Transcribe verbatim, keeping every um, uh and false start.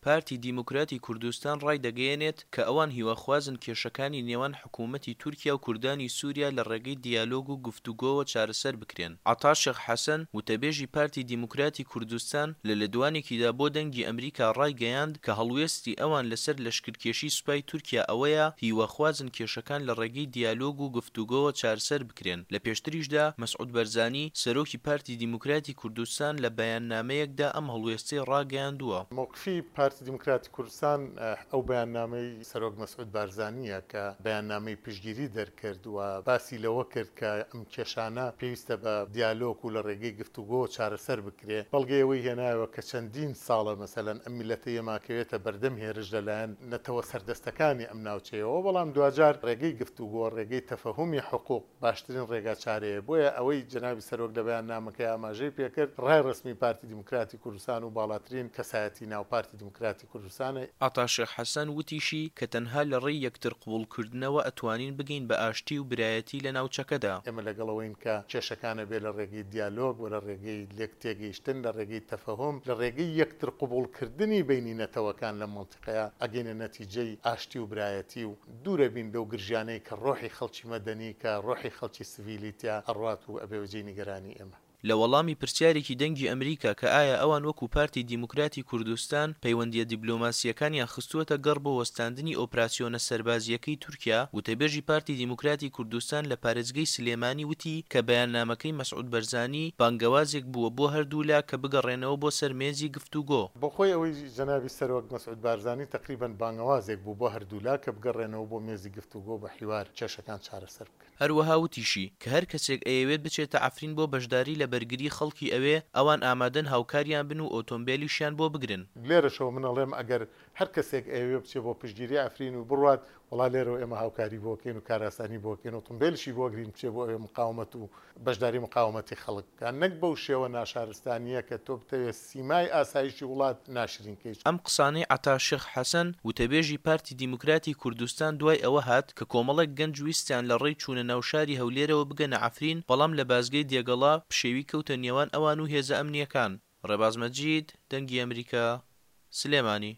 پارتی دیموکراتی کوردستان ڕایدەگەیەنێت کە ئەوان هیواخوازن کێشەکانی نێوان حکوومەتی تورکیا و کوردانی سووریا لە ڕێگەی دیالۆگ و گفتوگۆوە چارەسەر بکرێن. عەتا شێخ حەسەن، وتەبێژی پارتی دیموکراتی کوردستان لە لێدوانێکیدا بۆ دەنگی ئەمریکا ڕایگەیاند کە هەڵوێستی ئەوان لەسەر لەشکرکێشی سوپای تورکیا ئەوەیە هیواخوازن کێشەکان لە ڕێگەی دیالۆگ و گفتوگۆوە چارەسەر بکرێن. لە پێشتریشدا مەسعود بەرزانی، سەرۆکی پارتی دیموکراتی کوردستان لە بەیاننامەیەکدا ئەم هەڵوێستەی ڕاگەیاندووە. مەوقفی پارتی دیموکراتی کوردستان ئەو بەیاننامەی سەرۆک مەسعود بارزانییە کە بەیاننامەی پشتگیری دەرکرد و باسی لەوە کرد کە ئەم کێشانە پێویستە بە دیالۆگ و لە ڕێگەی گفتوگۆ چارەسەر بکرێ. بەڵگەی ئەوەی هێنایەوە کە چەندین ساڵە مەسەلەن ئەم میللەتە ئێماکەوێتە بەردەم هێرش لەلایەن نەتەوە سەردەستەکانی ئەم ناوچەیەوە، بەڵام دواجار ڕێگەی گفتوگۆ، ڕێگەی تەفەهومی حقوق باشترین ڕێگا چارەیە. بۆیە ئەوەی جەنابی سەرۆک لە بەیاننامەکەی ئاماژەی پێکرد ڕای ڕەسمی پارتی دیموکراتی کوردستان و باڵاترین کەسایەتی ناو پارتی دیموکراتی کوردستانە. عەتا شێخ حەسەن وتیشی کە تەنها لە ڕێی یەکتر قبوڵکردنەوە ئەتوانین بگەین بە ئاشتی و برایەتی لە ناوچەکەدا. ئێمە لەگەڵ ئەوەین کە کێشەکانە بێ لە ڕێگەی دیالۆگ و لە ڕێگەی لێک تێگەیشتن، لە ڕێگەی تەفەهوم، لە ڕێگەی یەکتر قبوڵکردنی بەینی نەتەوەکان لەم مەنتیقەیە ئەگەینە نەتیجەی ئاشتی و برایەتی و دوورە بین لەو گرژیانەی کە ڕۆحی خەڵکی مەدەنی، کە ڕۆحی خەڵکی سڤیلی تیا ئەڕوات و ئەبێ بە جێی نیگەرانی ئێمە. لە وەڵامی پرسیارێکی دەنگی ئەمریکا کە ئایا ئەوان وەکو پارتی دیموکراتی کوردستان پەیوەندییە دیبلۆماسییەکانیان خستووەتە گەڕ بۆ وەستاندنی ئۆپراسیۆنە سەربازییەکەی تورکیا، وتەبێژی پارتی دیموکراتی کوردستان لە پارێزگەی سلێمانی وتی کە بەیاننامەکەی مەسعود بەرزانی بانگەوازێک بووە بۆ هەردوولا کە بگەڕێنەوە بۆ سەر مێزی گفتوگۆ. بۆخۆی ئەوەی جەنابی سەرۆک مەسعود بارزانی تەقریبەن بانگەوازێک بوو بۆ هەردوولا کە بگەڕێنەوە بۆ مێزی گفتوگۆ بە حیوار کێشەکان چارەسەر بکەن. هەروەها وتیشی، کە هەر کەسێک ئەیەوێت بچێتە عەفرین بۆ بەشداری لە بەرگری خەڵکی ئەوێ، ئەوان ئامادەن هاوکاریان بن و ئۆتۆمبێلیشیان بۆ بگرن. لێرەشەوە من ئەڵێم ئەگەر هەر کەسێک ئەیەوێ بچێ بۆ پشتگیری عەفرین و بڕوات، وەڵا لێرەوە ئێمە هاوکاری بۆ کەین و کارئاسانی بۆ کەین، ئۆتۆمبێلیشی بۆ گرین بچێ بۆ ئەوێ مقاومەت و بەشداری مقاومەتی خەڵک بکات، نەک بەو شێوە ناشارستانییە کە تۆ بتەوێ سیمای ئاسایشی وڵات ناشرین کەیت. ئەم قسانەی عەتا شێخ حەسەن، وتەبێژی پارتی دیموکراتی کوردستان دوای ئەوە هات کە کۆمەڵێک گەنج ویستیان لە ڕێی چوونە ناو شاری هەولێرەوە بگەنە عەفرین، بەڵام لە بازگەی دێگەڵە پشێوی کەوتە نێوان ئەوان و هێزە ئەمنییەکان. ڕێباز مەجید، دەنگی ئەمریکا، سلێمانی.